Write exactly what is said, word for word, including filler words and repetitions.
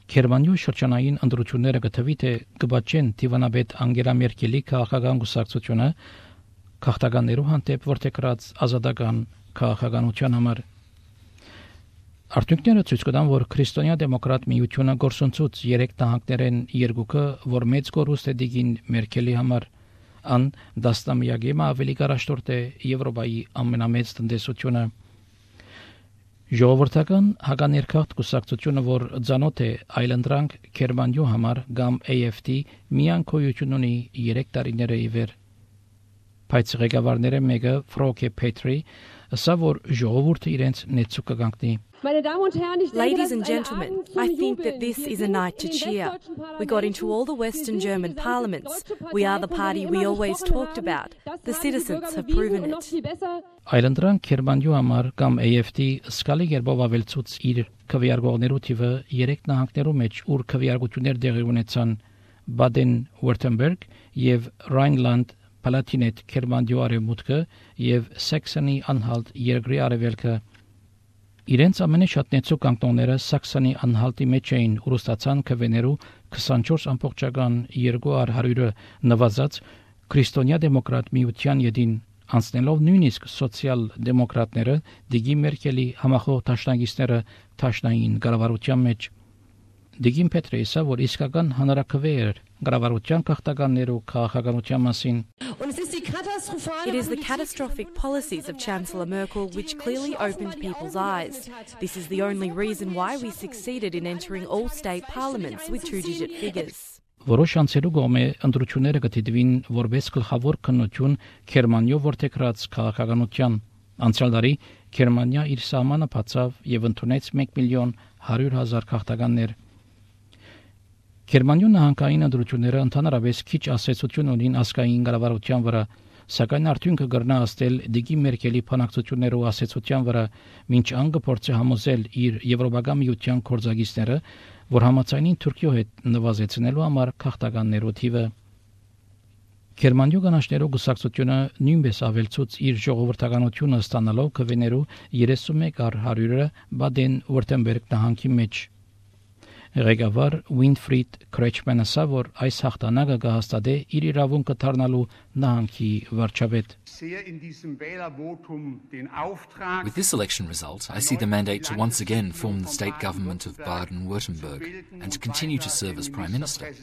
Գերմանիայի շրջանային ընտրությունները գտվի թե կբաչեն Տիվանաբեդ Անգելա Մերկելի քաղաքական գուսակցությունը քաղաքականներու հանդեպ որթեգրած ազատական քաղաքականության համար։ Արդյունքները ցույց կտան, որ քրիստոնյա դեմոկրատ միությունը գործընծուց երեք տահանքներեն երկուքը, որ մեծ կորուստ է դիգին Մերկելի համար, ան դաստամյակի ավելի կարաշտորտ է Եվրոպայի ամենամեծ տնտեսությունը։ Ժողովրդական հականերքախտ կուսակցությունը, որ ցանոթ է այլընտրանք Գերմանիու համար կամ A F D, միան քոյություն ունի երեք տարիները ի վեր։ Բայց ղեկավարները մեկը Ֆրոկե Պետրի, ասա որ ժողովուրդը իրենց նեցուկ կգանքնի։ Ladies and gentlemen, I think that this is a night to cheer. We got into all the Western German parliaments. We are the party we always talked about. The citizens have proven it. Այլընտրանք Գերմանիու համար կամ A F D սկալի երբով ավելցուց իր քվեարկողներու թիվը երեք նահանգներու մեջ, ուր քվեարկություններ տեղի ունեցան Baden-Württemberg եւ Rhineland-Palatinate Գերմանիու արևմուտքը եւ Saxony-Anhalt երկրի արևելքը։ Իրենց ամենաշատ նեցուկ կանտոնները Սաքսոնի անհալտի մեջ էին ուրուստացան քվեներու քսանչորս ամբողջական երկու հարյուրը նվազած քրիստոնյա դեմոկրատ միության յետին անցնելով նույնիսկ սոցիալ դեմոկրատները Դիգի Մերկելի համախոհ դաշնակիցները դաշնային կառավարության մեջ Դիգին Պետրեսը որ իսկական հանրակրվե էր կառավարության քաղաքականներու քաղաքականության մասին It is the catastrophic policies of Chancellor Merkel which clearly opened people's eyes. This is the only reason why we succeeded in entering all state parliaments with two-digit figures. Որոշ անցերու գոմե ընտրությունները կդիտվին որպես գլխավոր քննություն Գերմանիո որթեգրած քաղաքականության։ Անցյալ տարի Գերմանիա իր սահմանը բացավ եւ ընդունեց մեկ միլիոն հարյուր հազար քաղաքականներ։ Գերմանիո նահանգային ընտրությունները ընդհանրապես քիչ ասացություն ունին ազգային կառավարության վրա, սակայն արդյունքը կգրնա աստել Դիգի Մերկելի փանակցություններով ասացության վրա, մինչ անգը փորձի համոզել իր եվրոպական միության կորզագիստները, որ համաձայնին Թուրքիո հետ նվազեցնելու համար քաղաքականներու թիվը։ Գերմանիո կանաչներու գուսակցությունը նույնպես ավելցուց իր ժողովրդականությունը ստանալով քվեներու երեսունմեկ հարյուրը Baden-Württemberg նահանգի մեջ։ Ղեկավար Winfried Kretschmann ասա, որ այս հաղթանակը կհաստատե իր իրավունքը դառնալու նահանգի վարչապետ։ With this election result, I see the mandate to once again form the state government of Baden-Württemberg and to continue to serve as Prime Minister.